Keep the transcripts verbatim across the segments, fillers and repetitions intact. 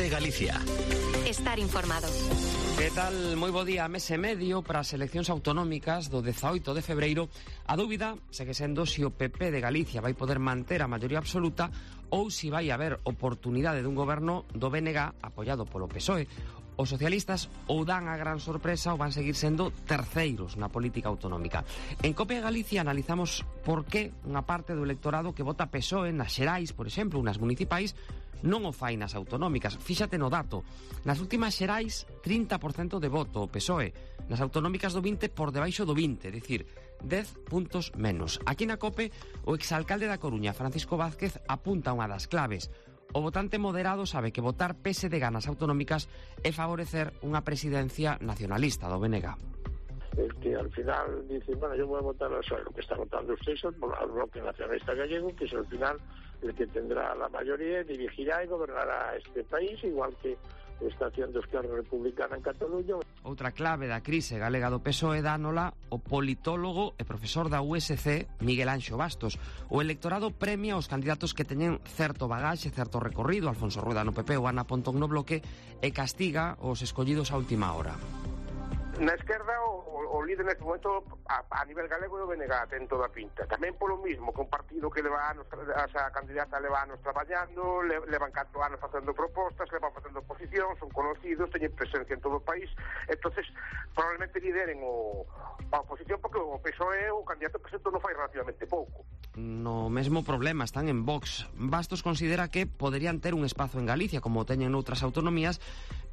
COPE Galicia. Estar informado. Que tal? Moi bo día. Mes e medio para as eleccións autonómicas do dezaoito de febreiro. A dúbida segue sendo se o P P de Galicia vai poder manter a maioría absoluta ou se vai haber oportunidade dun goberno do B N G apoiado polo P S O E. Os socialistas ou dan a gran sorpresa ou van seguir sendo terceiros na política autonómica. En COPE Galicia analizamos por que unha parte do electorado que vota P S O E nas xerais, por exemplo, ou nas municipais, non o fai nas autonómicas. Fíxate no dato. Nas últimas xerais, trinta por cento de voto o P S O E. Nas autonómicas do vinte por debaixo do vinte, é dicir, dez puntos menos. Aquí na COPE, o exalcalde da Coruña, Francisco Vázquez, apunta unha das claves. O votante moderado sabe que votar P S D G nas autonómicas é favorecer unha presidencia nacionalista do B N G. El que al final dice, bueno, yo voy a votar a lo que está votando usted, al bloque nacionalista gallego, que es al final el que tendrá la mayoría, dirigirá y gobernará este país, igual que está haciendo Esquerra Republicana en Cataluña. Outra clave da crise galega do P S O E dánola o politólogo e profesor da U S C Miguel Anxo Bastos. O electorado premia os candidatos que teñen certo bagaxe, certo recorrido, Alfonso Rueda no P P ou Ana Pontón no Bloque, e castiga os escollidos a última hora. Na esquerda o, o líder neste momento a, a nivel galego do B N G ten toda a pinta. Tamén polo mismo, que un partido que leva anos, a candidata leva anos traballando, le, levan catro anos facendo propostas, levan facendo oposición, son conocidos, teñen presencia en todo o país, entonces probablemente lideren o, a oposición porque o P S O E o candidato presento non fai relativamente pouco. No mesmo problema están en Vox. Bastos considera que poderían ter un espazo en Galicia como teñen noutras autonomías,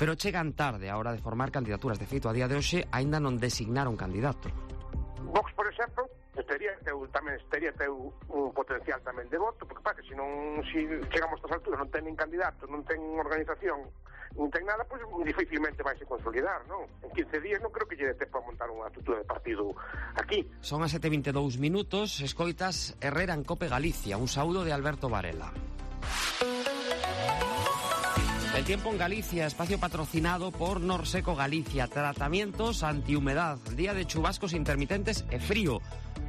pero chegan tarde a hora de formar candidaturas. De feito, a día de hoxe aínda non designaron candidato. Vox, por exemplo, teria teu, tamén teria teu un potencial tamén de voto, porque para que se non si chegamos a estas alturas non ten nin candidato, non ten organización, non ten nada, pois pues, dificilmente vai se consolidar, non? En quince días non creo que lle dé tempo a montar unha estrutura de partido aquí. Son as sete e vinte e dous minutos, escoitas Herrera en COPE Galicia, un saúdo de Alberto Varela. El tiempo en Galicia, espacio patrocinado por Norseco Galicia. Tratamientos antihumedad, día de chubascos intermitentes e frío,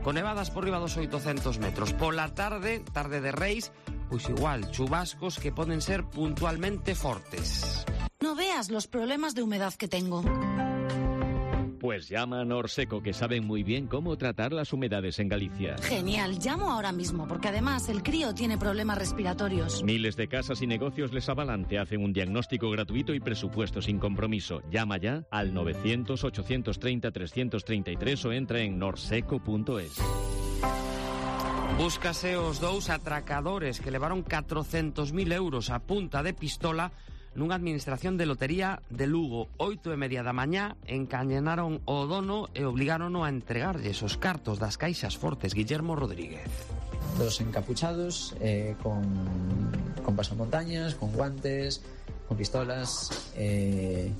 con nevadas por riba dos oitocentos metros. Pola tarde, tarde de Reis, pois igual, chubascos que poden ser puntualmente fortes. No veas los problemas de humedad que tengo. Pues llama a Norseco, que saben muy bien cómo tratar las humedades en Galicia. Genial, llamo ahora mismo, porque además el crío tiene problemas respiratorios. Miles de casas y negocios les avalan, te hacen un diagnóstico gratuito y presupuesto sin compromiso. Llama ya al novecientos, ochocientos treinta, trescientos treinta y tres o entra en norseco punto es. Búscase os dous atracadores que levaron catrocentos mil euros a punta de pistola nunha administración de lotería de Lugo. Oito e media da mañá encañenaron o dono e obligárono a entregarlles os cartos das caixas fortes. Guillermo Rodríguez. Dos encapuchados, eh, con, con pasamontañas, con guantes, con pistolas. Eh,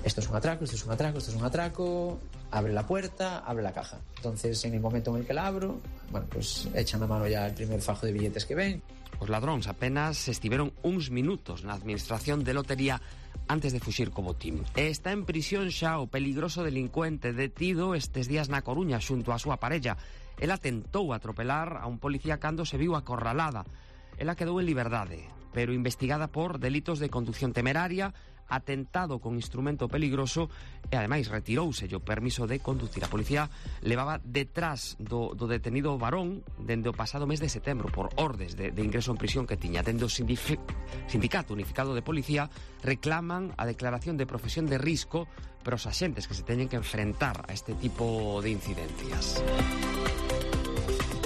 esto es un atraco, esto es un atraco, esto es un atraco. Abre la puerta, abre la caja. Entonces, en el momento en el que la abro, bueno, pues echan a mano ya el primer fajo de billetes que ven. Os ladróns apenas estiveron uns minutos na administración de lotería antes de fuxir co botín. E está en prisión xa o peligroso delincuente detido estes días na Coruña xunto á súa parella. Ela tentou atropelar a un policía cando se viu acorralada. Ela quedou en liberdade, pero investigada por delitos de conducción temeraria, atentado con instrumento peligroso e ademais retirouse o permiso de conducir. A policía levaba detrás do, do detenido varón dende o pasado mes de setembro por ordes de, de ingreso en prisión que tiña. Dende o Sindicato Unificado de Policía reclaman a declaración de profesión de risco para os axentes que se teñen que enfrentar a este tipo de incidencias.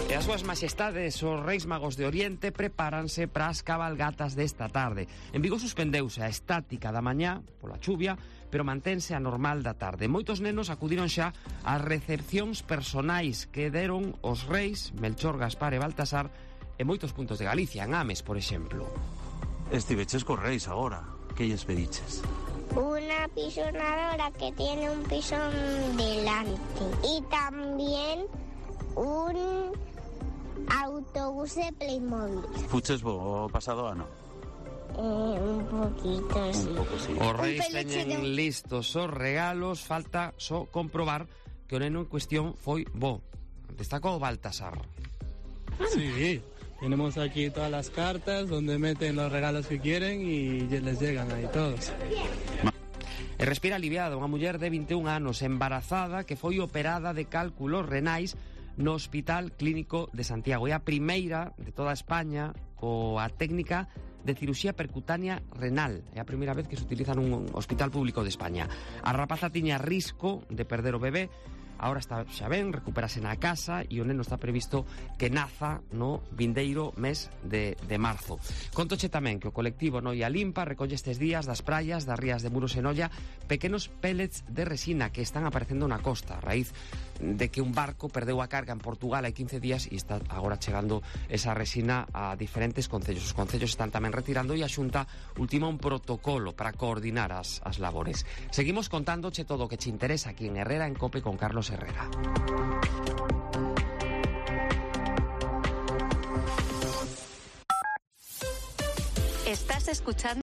E as súas majestades, os Reis Magos de Oriente, prepáranse para as cabalgatas desta tarde. En Vigo suspendeuse a estática da mañá pola chuvia, pero mantense a normal da tarde. Moitos nenos acudiron xa ás recepcións personais que deron os reis Melchor, Gaspar e Baltasar en moitos puntos de Galicia, en Ames, por exemplo. Estiveches cos reis agora, que lles pediches? Una pisonadora que tiene un pisón delante y también un autobús de Playmobil. Fuches bo o pasado ano? Eh, un poquito, sí. Un pouco, sí. Os reis teñen de... listos os regalos, falta só comprobar que o neno en cuestión foi bo. Destacou Baltasar. Sí, Tenemos aquí todas las cartas donde meten los regalos que quieren y les llegan ahí todos. E respira aliviada unha muller de vinte e un anos embarazada que foi operada de cálculos renais no Hospital Clínico de Santiago. É a primeira de toda España coa técnica de cirurxía percutánea renal. É a primeira vez que se utiliza nun hospital público de España. A rapaza tiña risco de perder o bebé. Ahora está xa ben, recupérase na casa e o neno está previsto que naza no vindeiro mes de, de marzo. Contoche tamén que o colectivo Noia Limpa recolle estes días das praias, das rías de Muros e Noia, pequenos pellets de resina que están aparecendo na costa a raíz de que un barco perdeu a carga en Portugal hai quince días e está agora chegando esa resina a diferentes concellos. Os concellos están tamén retirando e a Xunta ultima un protocolo para coordinar as, as labores. Seguimos contándoche todo o que che interesa aquí en Herrera en Cope con Carlos Herrera. Estás escuchando